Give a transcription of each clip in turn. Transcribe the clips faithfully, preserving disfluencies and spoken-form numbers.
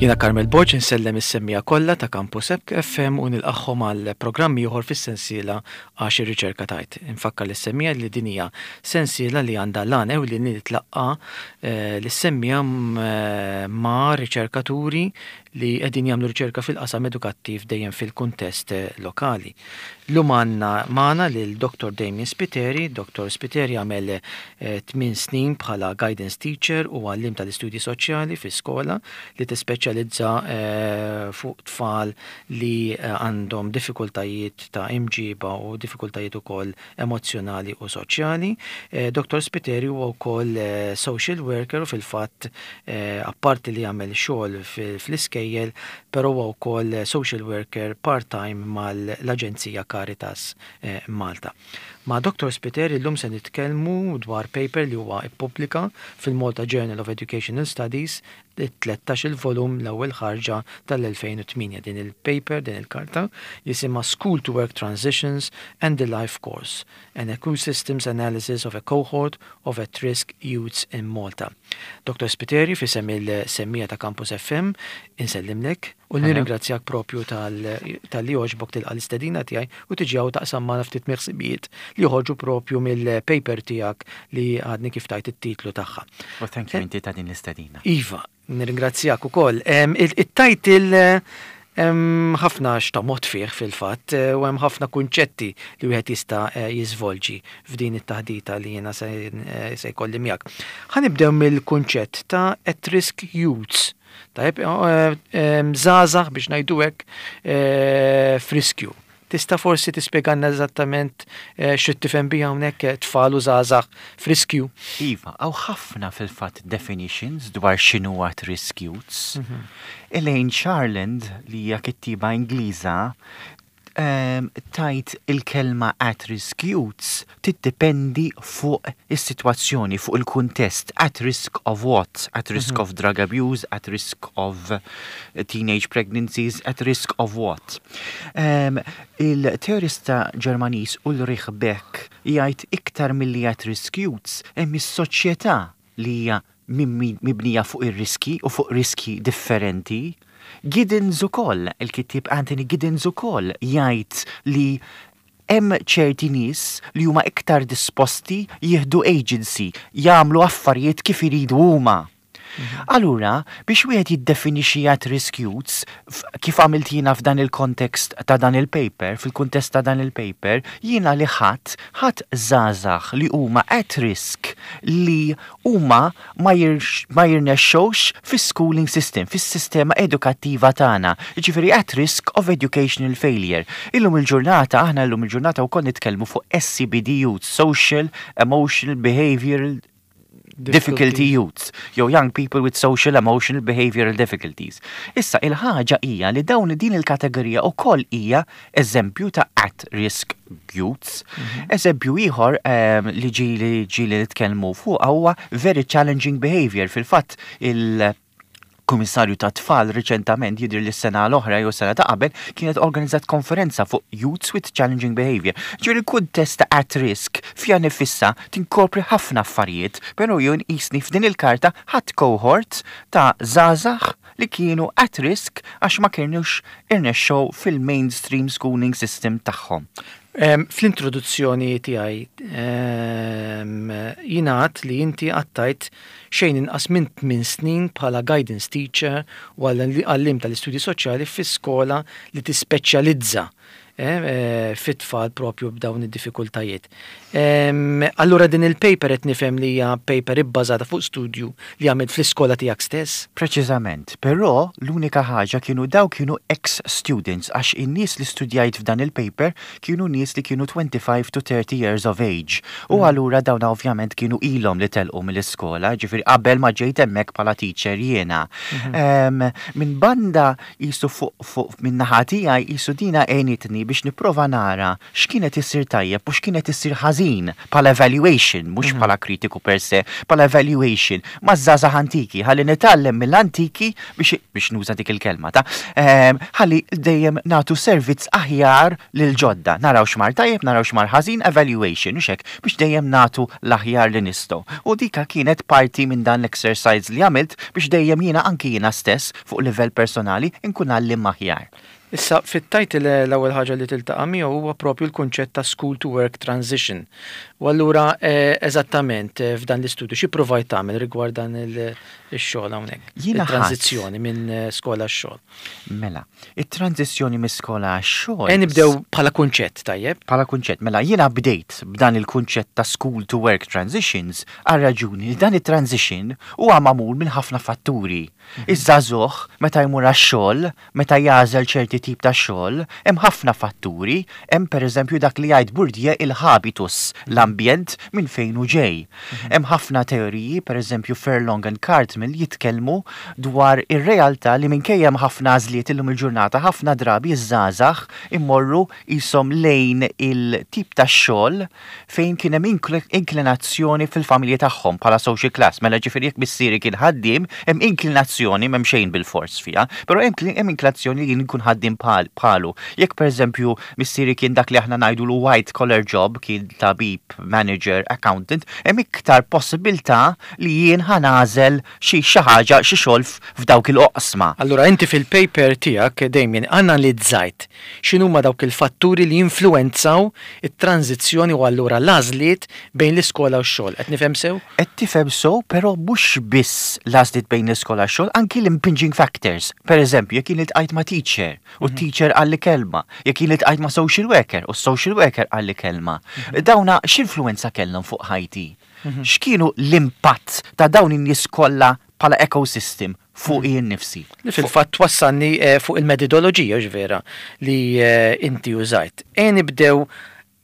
Jiena Carmel Borg, insellem is-semmiegħa kollha ta' Campus F M u nilqagħhom għal programm ieħor fis-sensiela Għax ir-Riċerka Tgħid. Infakkar lis-semmiegħa li din hija sensiela li għandha l-għan ewlieni li tlaqqa eh, lis-semmiegħa eh, ma' riċerkaturi li qegħdin jagħmlu riċerka fil-qasam edukattiv, dejjem fil-kuntest eh, lokali. Illum għandna magħna lil Dottor Damien Spiteri. Dottor Spiteri għamel tmien snin bħala guidance teacher u għallim tal-istudji soċjali fi skola li tispeċjalizza fuq tfal li għandhom diffikultajiet ta' imġiba u diffikultajiet ukoll emozzjonali u soċjali. Dottor Spiteri huwa wkoll social worker u fil-fatt, apparti li jagħmel xogħol fl-iskejjel, però huwa wkoll social worker part-time mal-Aġenzija Caritas Malta. Ma' Dottor Spiteri llum se nitkellmu dwar paper li huwa ippubblika fil-Malta Journal of Educational Studies, tlettax il-volum, l-ewwel ħarġa tal-elfejn u tmienja. Din il-paper, din il-karta, jisimha School to Work Transitions and the Life Course, an Ecosystems Analysis of a Cohort of at-Risk Youths in Malta. Dottor Spiteri, f'isem il-semmiegħa ta' Campus F M, insellimlek u nirringrazzjak propju talli għoġbok tilqa' l-istedina tiegħi u tiġi hawn taqsam magħna ftit miħsibijiet li joħorġu propju mill-paper tiegħek li għadni kif tajt it-titlu tagħha. Well, thank you inti ta' din l-istedina. Iva, nirringrazzjak ukoll. Il-title ħafna x'tomgħod fih fil-fatt u hemm ħafna kunċetti li wieħed jista' jiżvolġi f'din it-taħdita li jiena se jkolli miegħek. Ħa nibdew mill-kunċett ta' at-risk youths. Tajb, żgħażagħ, biex ngħidu hekk, f'riskju. Tista' forsi tispjegalna eżattament eh, xi tifhem biha hawnhekk, eh, tfal u żgħażagħ f'riskju? Iva, hawn ħafna fil-fatt definitions dwar x'inhu at risk youths. Elaine Sharland, li hija kittiba Ingliża, um, tgħid il-kelma at risk youths tiddependi fuq is-sitwazzjoni, fuq il-kuntest. At risk of what? At risk of drug abuse, at risk of teenage pregnancies, at risk of what? Um, il-teorista Ġermaniż Ulrich Beck jgħid iktar milli at risk youths hemm is-soċjetà li hija mibnija fuq ir-riski u fuq riski differenti. Giddens ukoll, il-kittib Anthony Giddens ukoll jgħid li hemm ċerti nies li huma iktar disposti jieħdu agency, jagħmlu affarijiet kif iridu huma. Allura, biex wieħed jiddefinixxi at risk youths, kif għamilt jiena f'dan il-kontekst ta' dan il-paper, fil-kuntest ta' dan il-paper, jiena li ħadt, ħadt żgħażagħ li huma at risk li huma ma jirnexxewx fis-schooling system, fis-sistema edukattiva tagħna. Jiġifieri at risk of educational failure. Illum il-ġurnata, aħna illum il-ġurnata wkoll nitkellmu fuq S E B D youth, Social, Emotional, Behavioral Difficulty youths, jew young people with social, emotional, behavioral difficulties. Issa, il-ħaġa hija li dawn din il-kategorija ukoll hija eżempju ta' at risk youths. Eżempju ieħor um, li ġieli ġieli nitkellmu fuq huwa very challenging behavior. Fil-fatt il- Kummissarju ta' Tfal riċentament, jidher li s-sena l-oħra jew sena ta' qabel, kienet organizzat konferenza fuq youths with challenging behavior. Ġifieri il-kuntest ta' at risk fiha nfisha tinkopri ħafna affarijiet, però jien jisni f'din il-karta ħadt cohort ta' żgħażagħ li kienu at risk għax ma kienux irnexxew fil-mainstream schooling system tagħhom. Fl-introduzzjoni tiegħi jingħad li inti għaddejt xejn inqas minn tmien snin bħala guidance teacher u għallim tal-istudji soċjali fi skola li tispeċjalizza eh, eh, fit-tfal propju b'dawn id-diffikultajiet. Allura din il-paper qed nifhem li hija paper ibbażata fuq studju li għamilt fl-iskola tiegħek stess? Preċiżament, però l-unika ħaġa kienu daw kienu ex-students, għax in-nies li studjajt f'dan il-paper kienu nies li kienu twenty-five to thirty years of age. U mm. allura dawn ovvjament kienu ilhom li telqu mill-iskola, ġifieri qabel ma ġejt hemmhekk bħala teacher jiena. Mhm. Minn banda jisu fuq fuq minn naħa tiegħi jisu dina għenitni. biex nipprova nara x'kienet issir tajjeb u x'kienet issir ħażin bħala evaluation, mhux mhm. bħala kritiku per se, bħala evaluation ma' żgħażagħ antiki, ħalli nitgħallem mill-antiki biex biex nuża dik il-kelma ta' ehm, ħalli dejjem nagħtu servizz aħjar lil ġodda. Naraw x'mar tajjeb, naraw x'mar ħażin, evaluation, u hekk biex dejjem nagħtu l-aħjar li nistgħu. U dika kienet parti minn dan l-exercise li għamilt biex dejjem jiena, anki jiena stess, fuq livell personali nkun għalliem aħjar. Issa, fit-title l-ewwel ħaġa li tiltaqa' miegħu huwa propju l-kunċett ta' school to work transition. U allura eh, eżattament eh, f'dan l-istudju xi provajt tagħmel rigward dan il-xogħol hawnhekk? Jiena Il-tranzizzjoni minn eh, skola għax-xogħol. Mela, it-tranzizzjoni minn skola għax-xogħol. E nibdew bħala kunċett, tajjeb? Bħala kunċett, mela jiena bdejt b'dan il-kunċett ta' school to work transitions għal raġuni li dan it-transition huwa magħmul minn ħafna fatturi. Iż-żagħżugħ meta jmur għax-xogħol, meta jagħżel ċerti tip ta' xogħol, hemm ħafna fatturi, hemm pereżempju dak li jgħid Bourdieu, il-habitus, l-ambjent minn fejn hu ġej. Hemm ħafna teoriji, pereżempju Furlong and Cartmill jitkellmu dwar ir-realtà li minkejja hemm ħafna għażliet illum il-ġurnata, ħafna drabi iż-żgħażagħ immorru jisom lejn il-tip ta' xogħol fejn kien hemm inklinazzjoni fil-familji tagħhom bħala social class. Mela ġifieri jekk missieri kien ħaddiem, hemm inklinazzjoni, m'hemm xejn bil-fors fiha, però hemm inklinazzjoni li jien nkun ħaddiem bħalu. Jekk pereżempju missieri kien dak li aħna ngħidu l white collar job, kien tabib, manager, accountant, hemm iktar possibilità li jien ħa nagħżel xi xi ħaġa, xi xogħol f'dawk il-oqsma. Allura inti fil-paper tiegħek, Damien, analizzajt x'inhuma dawk il-fatturi li influenzaw it-tranzizzjoni u allura l-għażliet bejn l-iskola u x-xogħol. Qed nifhem sew? Qed tifhem sew, però mhux biss l-għażliet bejn l-iskola u x-xogħol, anki l-impinging factors. Per eżempju, jekk jien iltqajt ma' teacher u mhm. teacher qalli kelma, jekk jien iltqajt ma' social worker u social worker qalli kelma. Mhm. Dawna x'influenza kellhom fuq ħajti? Mhm. X'kienu l-impatt ta' dawn in-nies kollha bħala ecosystem fuq jien nifsi? Li fil-fatt twassalni eh, fuq il-metodoloġija ġvera li eh, inti użajt. E nibdew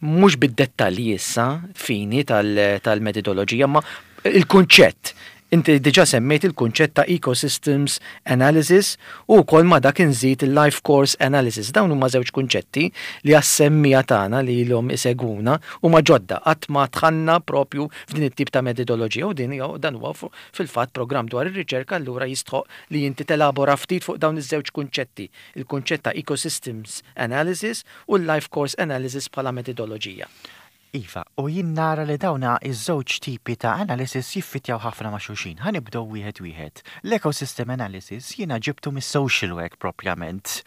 mhux bid-dettalji issa fini tal-metodoloġija, ma il-kunċett. Inti diġa semmejt il-kunċett ta' ecosystems analysis u wkoll ma dak inżid il-life course analysis. Dawn huma żewġ kunċetti li għas-semmiegħa tagħna li ilhom isegwuna huma ġodda, qatt ma dħalna propju f'din it-tip ta' metodoloġija u din dan huwa fil-fatt programm dwar ir-riċerka, allura jistħoq li inti telabora ftit fuq dawn iż-żewġ kunċetti, il-kunċett ta' ecosystems analysis u l-life course analysis bħala metodoloġija. Iva, u jien nara li dawna iż-żewġ tipi ta' analysis jiffitjaw ħafna ma' xulxin. Ħa nibdew wieħed wieħed. L-ecosystem analysis jiena ġibtu mis-social work propjament.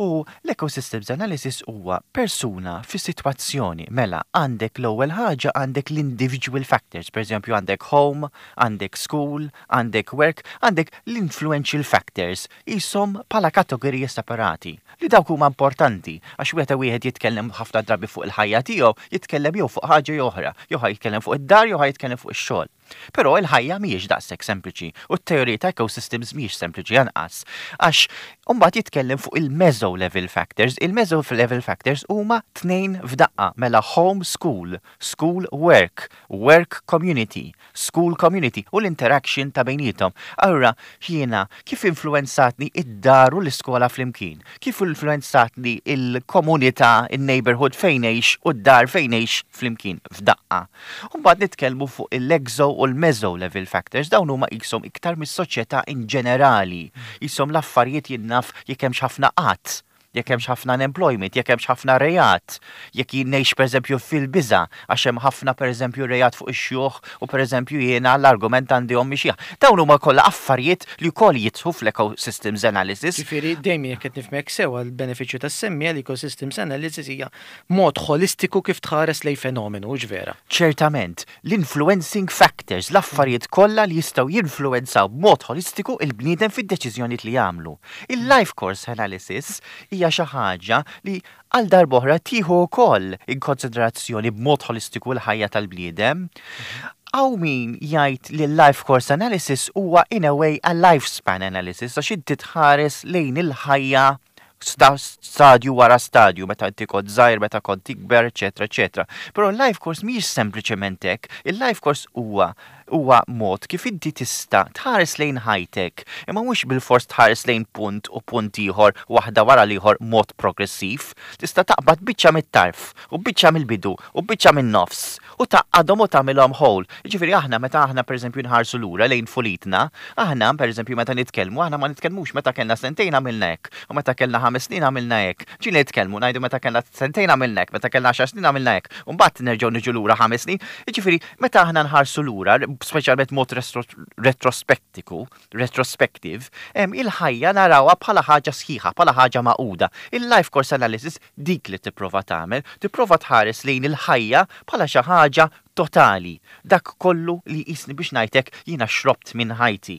U l-ecosystems analysis huwa persuna fi situazzjoni. Mela, għandek l-ewwel ħaġa, għandek l-individual factors, per eżempju għandek home, għandek school, għandek work, għandek l-influential factors, jisom bħala kategoriji separati. Li dawk huma importanti, għax wieħed wieħed jitkellem ħafna drabi fuq il-ħajja tiegħu, jitkellem jew fuq ħaġa jew oħra, jew ħa jitkellem fuq id-dar jew ħa jitkellem fuq ix-xogħol. Però il-ħajja mhijiex daqshekk sempliċi u t-teorija ta' ecosystems mhijiex sempliċi anqas. Għax mbagħad jitkellem fuq il-meso level factors. Il-meso level factors huma tnejn f'daqqa, mela home school, school work, work community, school community u l-interaction ta' bejnietom. Allura jiena kif influenzatni id-dar u l-iskola flimkien? Kif influenzatni il-komunità, il-neighborhood fejn ngħix u d-dar fejn ngħix flimkien f'daqqa? U mbagħad nitkellmu fuq il-exo u l-meso level factors, dawn huma jisom iktar mis-soċjetà in ġenerali. Jisom l-affarijiet, jien naf, jekk hemmx ħafna qatt, jekk hemmx ħafna unemployment, jekk hemmx ħafna rejat, jekk jien ngħix pereżempju fil-biża għax hemm ħafna pereżempju rejat fuq ix-xjuħ u pereżempju jiena l-argument għandi ommi xiħ. Dawn huma kollha affarijiet li wkoll jidħlu fl-ecosystems analysis. Ġifieri dejjem, jekk qed nifhmek sew, għall-benefiċċju tas-semmiegħa, l-ecosystems analysis hija mod holistiku kif tħares lej fenomenu, vera? Ċertament, l-influencing factors, l-affarijiet kollha li jistgħu jinfluenzaw b'mod holistiku il-bniedem fid-deċiżjonijiet li jagħmlu. Il-life course analysis hija xi ħaġa li għal darb'oħra tieħu wkoll in konsiderazzjoni b'mod holistiku l-ħajja tal-bniedem. Hawn min jgħid li l-life course analysis huwa in a way a lifespan analysis, għax inti tħares lejn il-ħajja stadju wara stadju, meta inti kont żgħir, meta kont tikber, eċetera, eċetera. Però l-life course mhijiex sempliċement hekk, il-life course huwa Huwa mod kif inti tista' tħares lejn ħajtek, imma mhux bil-fors tħares lejn punt u punt ieħor waħda wara l-ieħor mod progressiv. Tista' taqbad biċċa mit-tarf u biċċa mill-bidu u biċċa min-nofs u tgħaqqadhom u tagħmilhom whole. Jiġifieri aħna meta aħna, pereżempju, nħarsu lura lejn tfulitna, aħna, pereżempju, meta nitkellmu, aħna ma nitkellmux meta kellna sentejn għamilna hekk u meta kellna ħames snin għamilna hekk. Ġieli nitkellmu ngħidu meta kellna sentejn għamilna hekk, meta kellna għaxar snin għamilna hekk, u mbagħad nerġgħu niġu lura ħames snin. Jiġifieri meta aħna nħarsu lura, speċjalment mod retrospektiku, retrospective, il-ħajja narawha bħala ħaġa sħiħa, bħala ħaġa magħquda. Il-life course analysis dik li tipprova tagħmel, tipprova tħares lejn il-ħajja bħala xi ħaġa totali. Dak kollu li jisni biex ngħidlek jiena xrobt minn ħajti.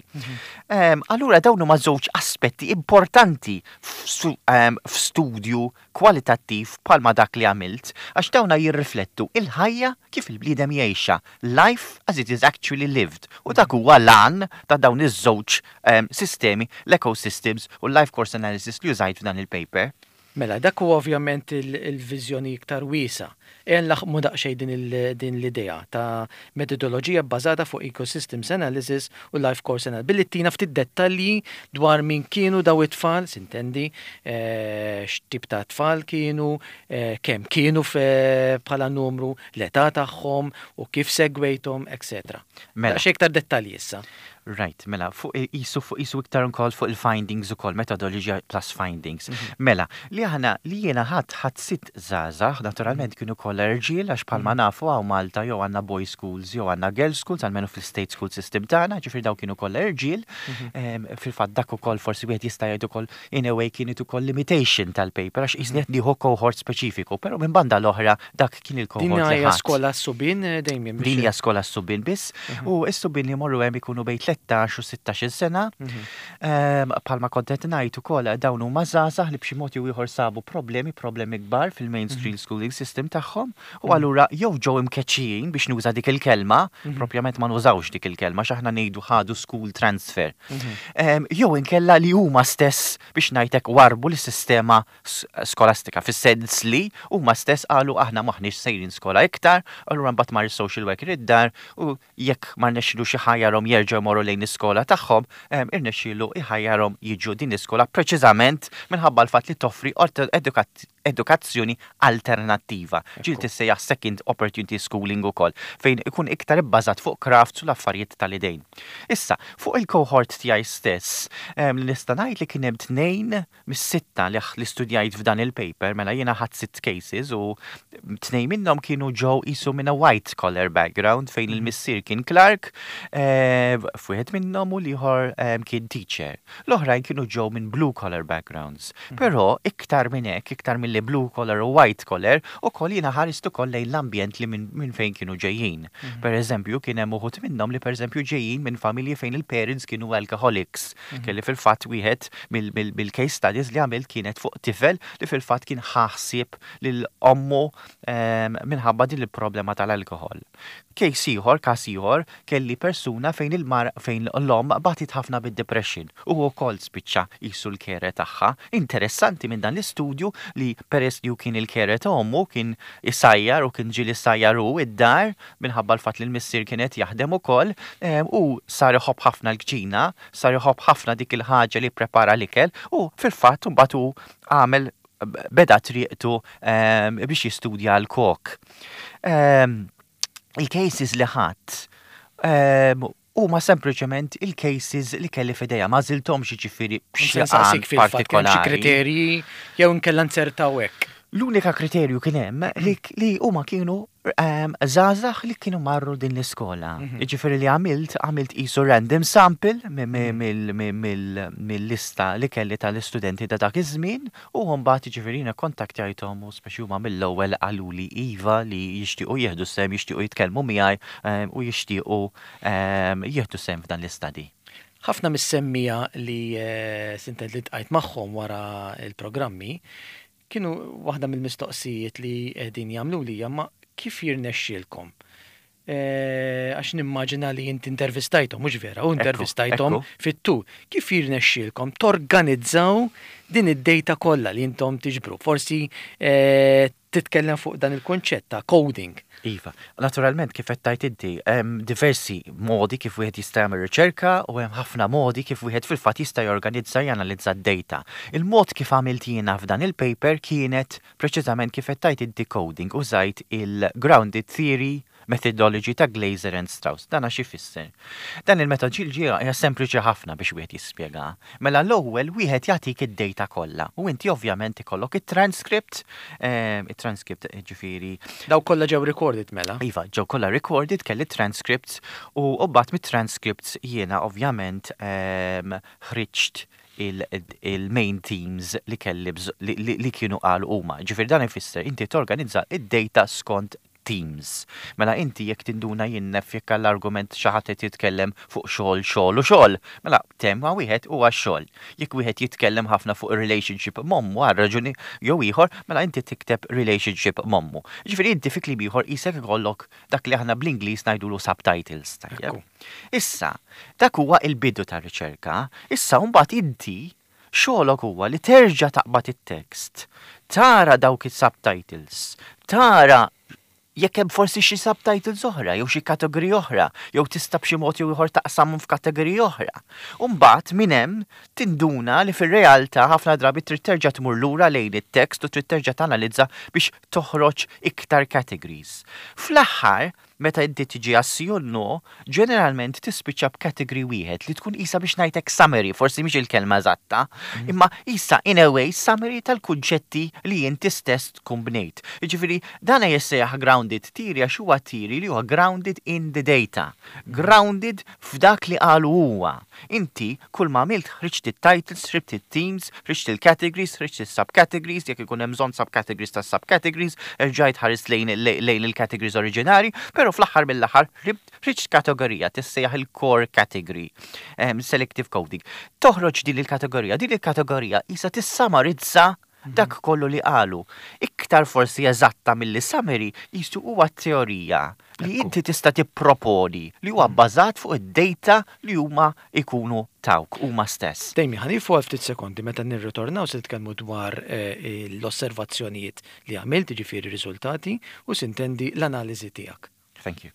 Um, allura dawn huma żewġ aspetti importanti f'studju kwalitattiv bħalma dak li għamilt, għax dawna jirriflettu il-ħajja kif il-bniedem jgħixha, life as it is actually lived. U dak huwa l-għan ta' dawn iż-żewġ um, sistemi, l-ecosystems u l-life course analysis li użajt f'dan il-paper. Mela, dak huwa ovvjament il-viżjoni iktar wiesgħa. Ejja nlaħħmu daqsxejn din l-idea ta' metodoloġija bbażata fuq ecosystems analysis u life course analysis. Billi tina ftit dettalji dwar min kienu daw it-tfal, s'intendi, eh, x'tip ta' tfal kienu, eh, kemm kienu bħala numru, l-età tagħhom u kif segwejthom, et cetera. Mela. Daqsxejn iktar dettalji issa. Right, mela, fuq isu fuq isu iktar ukoll fuq il-findings ukoll, methodology plus findings. Mhm. Mela, li aħna li jiena ħadd ħadd sitt żgħażagħ, naturalment kienu kollha irġiel, għax bħalma mhm. nafu hawn Malta jew għandna boys schools jew għandna girls schools, almenu fil-state school system tagħna, ġifieri daw kienu kollha irġiel. Mhm. Fil-fatt dak ukoll forsi wieħed jista' jgħid ukoll in a way kienet ukoll limitation tal-paper, għax qisni qed nieħu cohort speċifiku, però minn banda l-oħra dak kien il-cohort. Din hija skola subien, eh, dejjem. Din hija skola subien biss u s-subien li jmorru hemm ikunu bejn tlettax u sittax-il sena. Mhm. Bħalma kont qed ngħid ukoll, dawn huma żgħażagħ li b'xi mod jew ieħor sabu problemi, problemi kbar fil-mainstream mhm. schooling system tagħhom u mhm. allura jew ġew imkeċċijin, biex nuża dik il-kelma, propjament ma nużawx dik il-kelma, x'aħna ngħidu ħadu school transfer. Jew inkella li huma stess, biex ngħidlek, warbu l-sistema skolastika, fis-sens li huma stess qalu: "Aħna maħniex sejrin skola iktar." Allura mbagħad mar social worker id-dar u jekk ma rnexxielux iħajjarhom jerġgħu jmorru lejn l-iskola tagħhom, irnexxielu iħajjarhom jiġu din l-iskola preċiżament minħabba l-fatt li toffri edukazzjoni alternattiva. Ġieli tissejjaħ second opportunity schooling ukoll, fejn ikun iktar ibbażat fuq crafts u l-affarijiet tal-idejn. Issa, fuq il-cohort tiegħi stess, li nista' ngħid li kien hemm tnejn mis-sitta li li studjajt f'dan il-paper, mela jiena ħadt sitt cases u tnejn minnhom kienu ġew isu minn a white collar background, fejn il-missier kien clerk, eh, f'wieħed minnhom, u l-ieħor kien teacher. L-oħrajn kienu ġew minn blue collar backgrounds. Però iktar minn hekk, iktar mill blue collar u white collar, ukoll jiena ħarist ukoll lejn l-ambjent li minn fejn kienu ġejjin. Mhm. Per eżempju, kien hemm uħud minnhom li, per eżempju, ġejjin minn familji fejn il-parents kienu alcoholics. Mhm. Kelli fil-fatt wieħed mill-case studies li għamilt kienet fuq tifel li fil-fatt kien ħaħsib lil ommu minħabba din il-problema tal-alkohol. Case ieħor, każ ieħor, kelli persuna fejn il-mar fejn l-omm batit ħafna bid-depression u wkoll spiċċa jisu l-carer tagħha. Interessanti minn dan l-istudju li peress li kien il-carer ta' ommu, kien isajjar u kien ġieli sajjar u id-dar minħabba l-fatt li l-missier kienet jaħdem ukoll, u sar iħobb ħafna l-kċina, sar iħobb ħafna dik il-ħaġa li prepara l-ikel, u fil-fatt mbagħad hu għamel beda triqtu biex jistudja l-kok. Il-cases li ħadd huma sempliċement il-cases li kelli f'idejja, ma għażilthomx ġifieri b'xi partikolari. Kriterji jew inkella nzertaw hekk? L-unika kriterju kien hemm li, li huma kienu żgħażagħ li kienu marru din l-iskola. Mhm. Ġifieri li għamilt, għamilt isu random sample mill-lista li kelli tal-istudenti ta' dak iż-żmien u mbagħad ġifieri jiena kontaktjajthom u speċi huma mill-ewwel qaluli iva, li jixtiequ jieħdu sehem, jixtiequ jitkellmu miegħi u jixtiequ jieħdu sehem f'dan l-istudju. Ħafna mis-semmiegħa li eh, s'intendi li ltqajt magħhom wara il-programmi kienu waħda mill-mistoqsijiet li qegħdin jagħmlu li ma kif jirnexxielkom eh, għax nimmaġina li inti intervistajthom, mhux vera, u intervistajthom fit-tul. Kif jirnexxielkom torganizzaw din id-data kollha li intom tiġbru? Forsi eh, titkellem fuq dan il-konċett ta' coding. Iva, naturalment, kif qed tgħid inti, hemm diversi modi kif wieħed jista' jagħmel riċerka u hemm ħafna modi kif wieħed fil-fatt jista' jorganizza, janalizza d-data. Il-mod kif għamilt jiena f'dan il-paper kienet preċiżament kif qed tgħid inti, coding. Użajt il-grounded theory methodology ta' Glaser and Strauss. Dan għax ifisser? Dan il-metodoloġija hija sempliċi ħafna biex wieħed jispjega. Mela l-ewwel wieħed jagħtik id-data kollha u inti ovvjament ikollok it-transcript, ehm, it-transcript ġifieri. Daw kollha ġew recorded mela? Iva, ġew kollha recorded, kelli transcripts u mbagħad mit-transcripts jiena ovvjament ehm, ħriġt il-main themes li kelli li kienu qalu huma. Ġifieri dan ifisser inti torganizza id-data skont themes. Mela inti jekk tinduna jinnef jekk għall-argument xi ħadd qed jitkellem fuq xogħol, xogħol u xogħol, mela tema wieħed huwa xogħol. Jekk wieħed jitkellem ħafna fuq relationship m'ommu għal raġuni jew ieħor, mela inti tikteb relationship m'ommu. Ġifieri inti fi kliem ieħor isek ikollok dak li aħna bl-Ingliż ngħidulu subtitles. Tajjeb. Issa, dak huwa il-bidu tar-riċerka. Issa mbagħad inti xogħolok huwa li terġa' taqbad it-tekst, tara dawk is-subtitles, tara jekk hemm forsi xi subtitles oħra jew xi kategoriji oħra, jew tista' b'xi mod jew ieħor taqsamhom f'kategoriji oħra. U mbagħad minn hemm tinduna li fir-realtà ħafna drabi trid terġa' tmur lura lejn it-tekst u trid terġa' tanalizza biex toħroġ iktar categories. Fl-aħħar, meta inti tiġi għas no, ġeneralment tispiċċa b'category wieħed li tkun isa biex ngħidlek summary, forsi mhix il-kelma eżatta, mm. imma isa in a way summary tal-kunċetti li inti stess tkun bnejt. Jiġifieri dan jissejjaħ grounded theory għax huwa theory li huwa grounded in the data, grounded f'dak li qalu huwa. Inti kull ma għamilt ħriġt it-titles, ħriġt it-themes, ħriġt il-categories, ħriġt il-subcategories, jekk ikun hemm bżonn subcategories ta' subcategories, erġajt ħares lejn lejn il-categories oriġinari, però fl-aħħar mill-aħħar ħriġt kategorija tissejjaħ il-core category, um, selective coding. Toħroġ din il-kategorija, din il-kategorija isa tissamarizza dak kollu li qalu. Iktar forsi eżatta mill summary jistu huwa teorija li inti tista' tipproponi li huwa bbażat fuq id-data li huma ikunu tawk huma stess. Dejmi, ħa nieqfu għal ftit sekondi. Meta nirritornaw se nitkellmu dwar eh, l-osservazzjonijiet li għamilt, ġifieri riżultati u sintendi l-analiżi tiegħek. Thank you.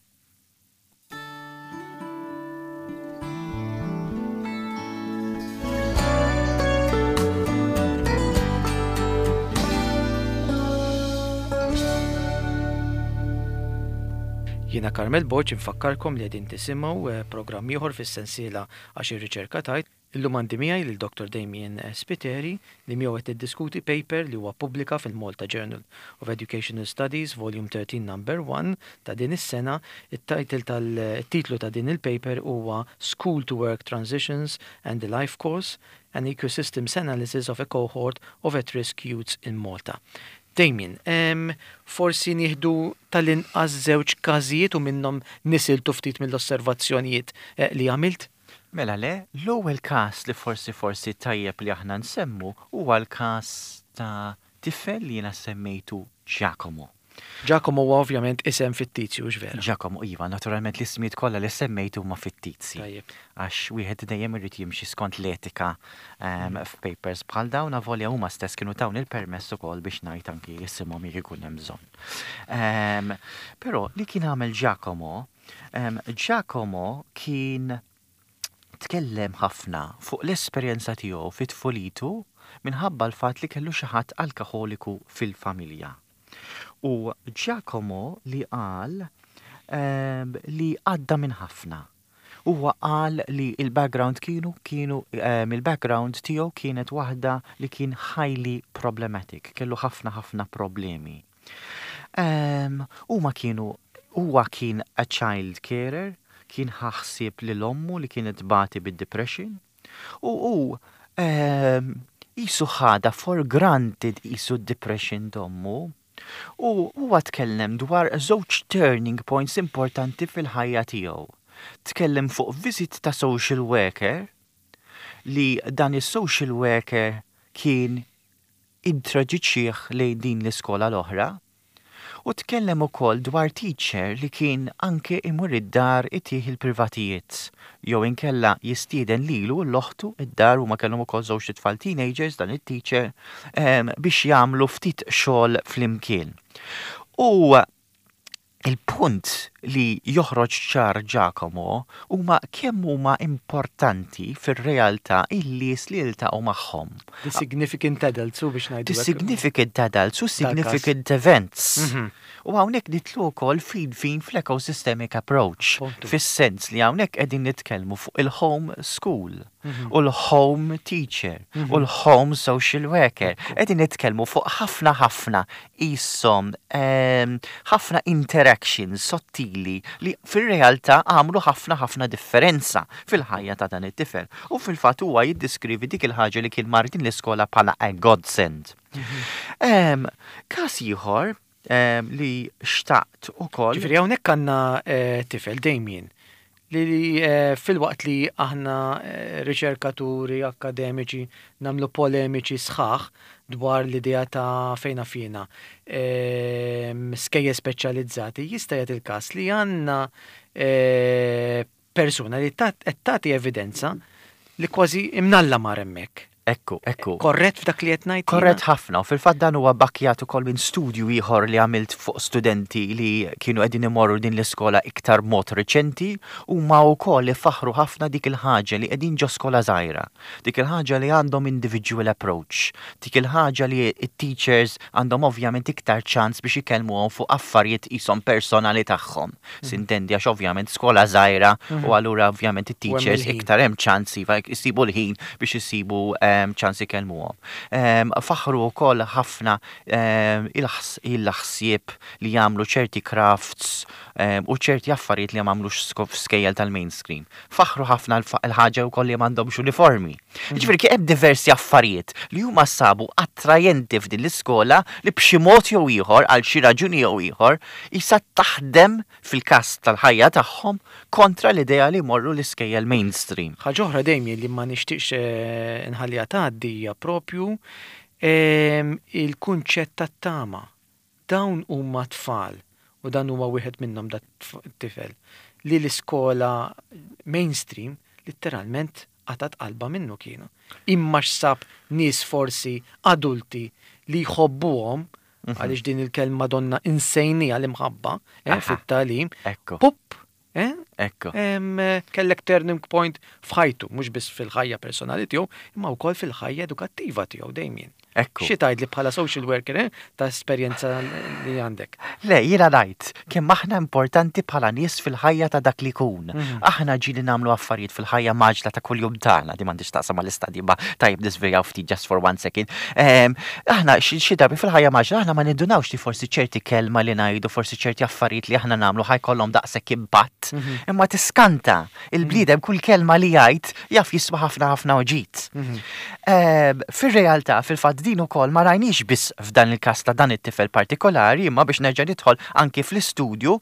Jiena Carmel Borg, infakkarkom li qegħdin tisimgħu eh, programm ieħor fis-sensiela Għax ir-Riċerka Tgħid. Illum għandi miegħi lil Doctor Damien Spiteri li miegħu qed niddiskuti paper li huwa pubblika fil-Malta Journal of Educational Studies, Volume thirteen Number one ta' din is-sena. It-title tal-titlu ta' din il-paper huwa School to Work Transitions and the Life Course, an Ecosystems Analysis of a Cohort of At-Risk Youths in Malta. Damien, em, forsi nieħdu tal-inqas żewġ każijiet u minnhom nisiltu ftit mill-osservazzjonijiet eh, li għamilt? Mela le, l-ewwel każ li forsi forsi tajjeb li aħna nsemmu huwa l-każ ta' tifel li jiena semmejtu Giacomo. Giacomo huwa ovvjament isem fittizju, vera? Giacomo, iva, naturalment l-ismijiet kollha li semmejtu huma fittizji. Tajjeb. Għax wieħed dejjem irid jimxi skont l-etika um, f'papers bħal dawn, avolja huma stess kienu tawni l-permess ukoll biex ngħid anki isimhom jekk ikun hemm bżonn. Um, però li kien għamel Giacomo, um, Giacomo kien tkellem ħafna fuq l-esperjenza tiegħu fit-tfulitu minħabba l-fatt li kellu xi ħadd alkoholiku fil-familja. U Giacomo li qal um, li għadda minn ħafna. Huwa qal li il-background kienu kienu um, il-background tiegħu kienet waħda li kien highly problematic, kellu ħafna ħafna problemi. Um, huma kienu huwa kien a child carer, kien ħaħsib lil ommu li kienet bati bid-depression, u hu um, jisu ħada for granted jisu depression t'ommu. U huwa tkellem dwar żewġ turning points importanti fil-ħajja tiegħu. Tkellem fuq visit ta' social worker, li dan is-social worker kien introduċih lejn din l-iskola l-oħra, U tkellem ukoll dwar teacher li kien anke imur id-dar itih il-privatijiet. Jew inkella jistieden lilu u l-oħtu id-dar, u ma kellhom ukoll żewġ tfal teenagers dan it-teacher, biex jagħmlu ftit xogħol flimkien. U il-punt li joħroġ ċar, Giacomo, huma kemm huma importanti fir-realtà il-nies li jiltaqgħu magħhom. The significant adults, u biex ngħidu. The significant adults u significant events. Mhm. U hawnhekk nidħlu wkoll fin fin fl-ecosystemic approach. Fis-sens li hawnhekk qegħdin nitkellmu fuq il-home school mhm. u l-home teacher mhm. u l-home social worker. Qegħdin nitkellmu fuq ħafna ħafna isom ħafna interactions sottili li fir-realtà għamlu ħafna ħafna differenza fil-ħajja ta' dan it-tifel. U fil-fatt huwa jiddiskrivi dik il-ħaġa li kien mar din l-iskola bħala a godsend. Mhm. Każ ieħor li xtaqt ukoll. Ġifieri hawnhekk għandna eh, tifel, Damien, li eh, filwaqt li aħna eh, riċerkaturi akademiċi nagħmlu polemiċi sħaħ dwar l-idea ta' fejna fina skejjel speċjalizzati, jista' jagħti il-każ li għandna persuna li qed tagħti evidenza li kważi imnalla mar hemmhekk. Ekku, ekku. Korrett f'dak li qed ngħid? Korrett ħafna, u fil-fatt dan huwa bakkjat ukoll minn studju ieħor li għamilt fuq studenti li kienu qegħdin imorru din l-iskola iktar mod reċenti, u ma wkoll li faħru ħafna dik il-ħaġa li qegħdin ġo skola żgħira. Dik il-ħaġa li għandhom individual approach. Dik il-ħaġa li it-teachers għandhom ovvjament iktar ċans biex ikellmuhom fuq affarijiet isom personali tagħhom. Mhm. Sintendi, għax ovvjament skola żgħira u mhm. allura ovvjament it-teachers iktar hemm ċans iva jsibu l-ħin biex isibu eh, ċans ikellmuhom. Faħru wkoll ħafna il-ħsieb li jagħmlu ċerti crafts u ċerti affarijiet li m'għamlux f'skejjel tal-mainstream. Faħru ħafna l-ħaġa wkoll li m'għandhomx uniformi. Mhm. Ġifieri kien hemm diversi affarijiet li huma sabu attrajenti f'din l-iskola li b'xi mod jew ieħor, għal xi raġuni jew ieħor, issa taħdem fil-każ tal-ħajja tagħhom kontra l-idea li jmorru l-iskejjel mainstream. Ħaġa oħra dejjem li ma nixtieqx eh, nħalliha tgħaddi hija propju ehm, il-kunċett tat-tama. Dawn huma tfal, u dan huwa wieħed minnhom, dat tifel li l-iskola mainstream letteralment qatgħet qalbha minnu kienu. Imma x'sab nies, forsi adulti li jħobbuhom, mhm. għaliex din il-kelma donna insejnieha, l-imħabba eh, fit-tagħlim. Pup, eh? Ekku. Kellek turning point f'ħajtu, mhux biss fil-ħajja personali tiegħu, imma wkoll fil-ħajja edukattiva tiegħu, Damien. Ekku. Xi tgħid li bħala social worker eh, ta' esperjenza li għandek? Le, jiena ngħid kemm aħna importanti bħala nies fil-ħajja ta' dak li jkun. Mhm. Aħna ġieli nagħmlu affarijiet fil-ħajja mgħaġġla ta' kuljum tagħna, di m'għandix taqsam mal-istadji, ma tajjeb nisvejjaw ftit just for one second. Aħna xi drabi fil-ħajja mgħaġġla aħna ma nindunawx li forsi ċerti kelma li ngħidu, forsi ċerti affarijiet li aħna nagħmlu ħa jkollhom daqshekk impatt. Mhm. Imma tiskanta, il-bniedem kull kelma li jgħid jaf jiswa ħafna ħafna uġit. Mhm. Fir-realtà, fil-fatt din ukoll ma rajniex biss f'dan il-każ ta' dan it-tifel partikolari, imma biex nerġa' nidħol anki fl-istudju,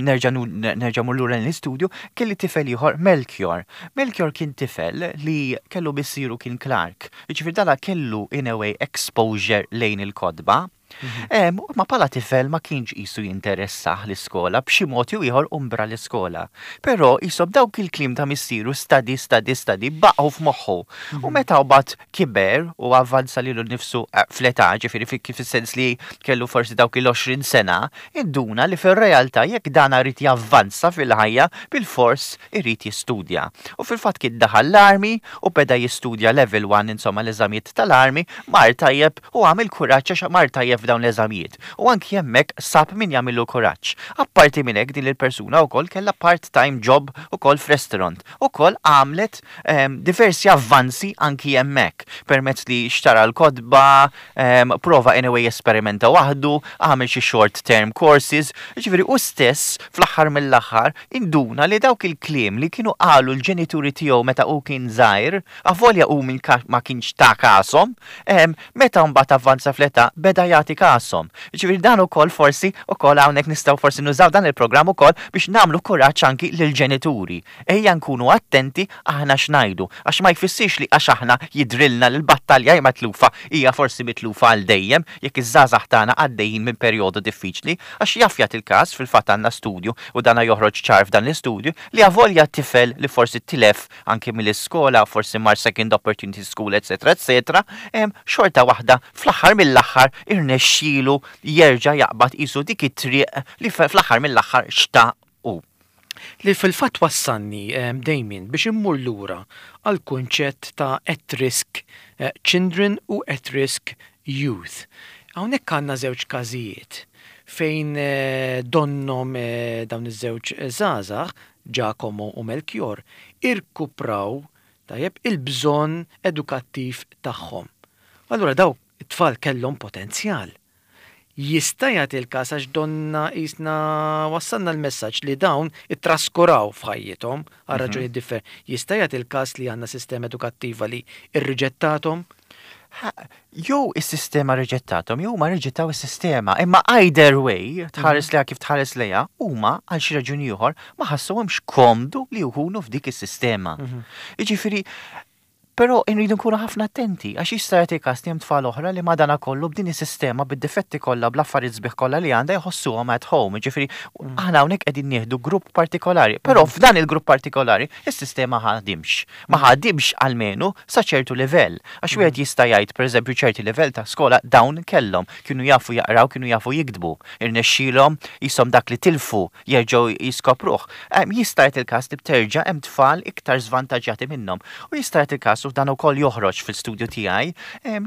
nerġa' nerġa' mur lura l-istudju, kelli tifel ieħor, Melchior. Melchior kien tifel li kellu missieru kien clerk. Jiġifieri dala kellu in a way exposure lejn il-kotba. Mhm. Ma bħala tifel ma kienx jisu jinteressah l-iskola, b'xi mod jew ieħor umbra l-iskola. Però jisob dawk il-kliem ta' missieru, "study, study, study", baqgħu f'moħħu. U mhm. meta mbagħad kiber u avvanza lilu nnifsu eh, fl-età, ġifieri kif sens li kellu forsi dawk il-għoxrin sena, induna li fir-realtà jekk dan irid javvanza fil-ħajja, bil-fors irid jistudja. U fil-fatt kien daħal l-army u beda jistudja level one, insomma l-eżamijiet tal-army, mar tajjeb u għamil kuraġġ għax mar tajjeb f'dawn l-eżamijiet. U anki hemmhekk sab min jagħmillu kuraġġ. Apparti minn hekk, din il-persuna wkoll kellha part-time job ukoll f'restaurant. Ukoll għamlet um, diversi avvanzi anki hemmhekk permezz li xtara l-kotba, um, prova anyway esperimenta waħdu, għamel xi short term courses, ġifieri u stess fl-aħħar mill-aħħar induna li dawk il-kliem li kienu qalu l-ġenituri tiegħu meta hu kien żgħir, avolja hu min ma kienx ta' kasom, um, meta mbagħad avvanza fl-età beda jagħti nagħti kashom. Ġifieri dan ukoll forsi ukoll hawnhekk nistgħu forsi nużaw dan il-programm ukoll biex nagħmlu kuraġġ anki lill-ġenituri. Ejja nkunu attenti aħna x'ngħidu, għax ma jfissirx li għax aħna jidrilna li l-battalja hija mitlufa, hija forsi mitlufa għal dejjem jekk iż-żgħażagħ tagħna għaddejjin minn perjodu diffiċli, għax jaf jagħti il-każ, fil-fatt għandna studju u dana joħroġ ċar f'dan l-istudju, li avolja tifel li forsi tilef anki mill-iskola, forsi mar second opportunity school, eċetera, eċetera, xorta waħda fl-aħħar mill-aħħar irnexxielu jerġa' jaqbad isu dik it-triq li fl-aħħar mill-aħħar xtaq u. Li fil-fatt wassalni, Damien, biex immur lura għal kunċett ta' at-risk eh, children u at-risk youth. Hawnhekk għandna żewġ każijiet fejn eh, donnom eh, dawn iż-żewġ żgħażagħ, Giacomo u Melchior, irkupraw tajjeb il-bżonn edukattiv tagħhom. Allura daw it-tfal kellhom potenzjal. Jista' jagħti l-każ, għax donna qisna wassalna l-messaġġ li dawn ittraskuraw f'ħajjithom għal raġuni differenti. Jista' jagħti l-każ li għandna sistema edukattiva li irriġettathom? Jew is-sistema riġettathom, jew ma riġettaw is-sistema. Imma either way, tħares lejha kif tħares lejha, huma għal xi raġuni ieħor ma ħassuhomx komdu li jkunu f'dik is-sistema. Jiġifieri, però nridu nkunu ħafna attenti, għax jista' jagħti każ li hemm tfal oħra li madana kollu b'din is-sistema, bid-difetti kollha, bl-affarijiet sbieħ kollha li għandha, jħossuhom at home. Ġifieri aħna hawnhekk qegħdin nieħdu grupp partikolari, però f'dan il-grupp partikolari is-sistema ħadimx. Ma ħadimx almenu sa ċertu livell. Għax wieħed jista' jgħid, pereżempju, ċerti livell ta' skola dawn kellhom, kienu jafu jaqraw, kienu jafu jiktbu, irnexxielhom jisom dak li tilfu jerġgħu jiskopruh. Jista' jagħti il-każ li bterġa' hemm tfal iktar żvantaġġjati minnhom. U jista' jagħti il-każ, u dan ukoll joħroġ fil-studju tiegħi,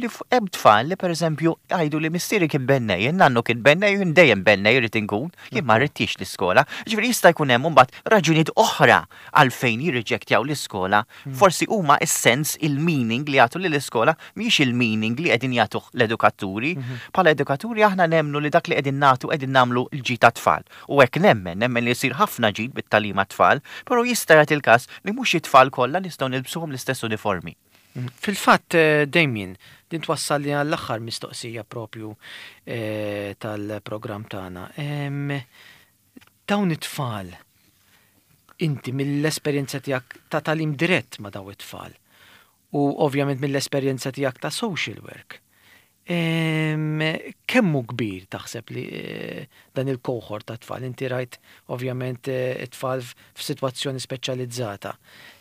li hemm tfal li pereżempju jgħidu li missieri kien bennej, nannu kien bennej, jien dejjem bennej irid inkun, jien ma rridtix l-iskola. Ġifieri jista' jkun hemm mbagħad raġunijiet oħra għalfejn jirriġektjaw l-iskola. Forsi huma is-sens, il-meaning li jagħtu lill-iskola mhijiex il-meaning li qegħdin jagħtuh l-edukaturi. Bħala edukaturi aħna nemmnu li dak li qegħdin nagħtu qegħdin nagħmlu l-ġid tat-tfal. U hekk nemmen, nemmen li jsir ħafna ġid bit-tagħlim tfal, però jista' jagħti il-każ li mhux it-tfal kollha nistgħu nilbsuhom l-istess uniformi. Fil-fatt, eh, Damien, din twassalli għall-aħħar mistoqsija propju eh, tal-programm tagħna. Dawn it-tfal, inti mill-esperjenza tiegħek ta' tagħlim dirett ma' daw it-tfal u ovvjament mill-esperjenza tiegħek ta' social work, kemm hu kbir taħseb li eh, dan il-cohort ta' tfal? Inti rajt ovvjament it-tfal f'sitwazzjoni speċjalizzata.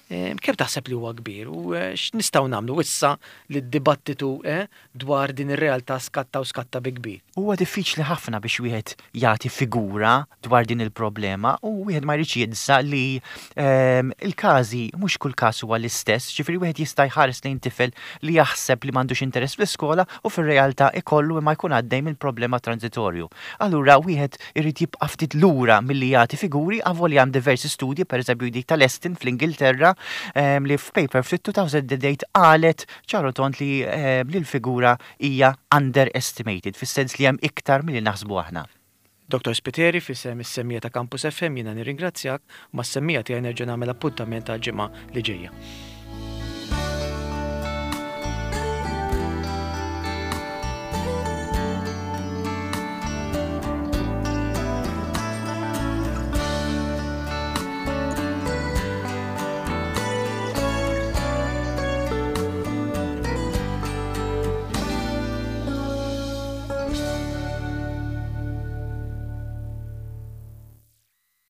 Kemm taħseb li huwa kbir u eh, x'nistgħu nagħmlu issa li d-dibattitu eh, dwar din ir-realtà skatta u skatta bi kbir? Huwa diffiċli ħafna biex wieħed jagħti figura dwar din il-problema u wieħed ma jridx jinsa li ehm, il-każi, mhux kull każ huwa l-istess, ġifieri wieħed jista' jħares lejn tifel li jaħseb li m'għandux interess fl-iskola u fir-realtà ikollu, imma jkun għaddej minn problema transitorju. Allura wieħed irid jibqa' ftit lura milli jagħti figuri, avolja hemm diversi studji, pereżempju dik tal-Estin fl-Ingilterra, ehm, li f'paper fit-elfejn u tmienja qalet ċar u tond li ehm, li l-figura hija underestimated, fis-sens li hemm iktar milli naħsbu aħna. Dottor Spiteri, f'isem is-semmiegħa ta' Campus F M jiena nirringrazzjak u mas-semmiegħa tiegħi nerġa' nagħmel appuntament għal ġimgħa li ġejja.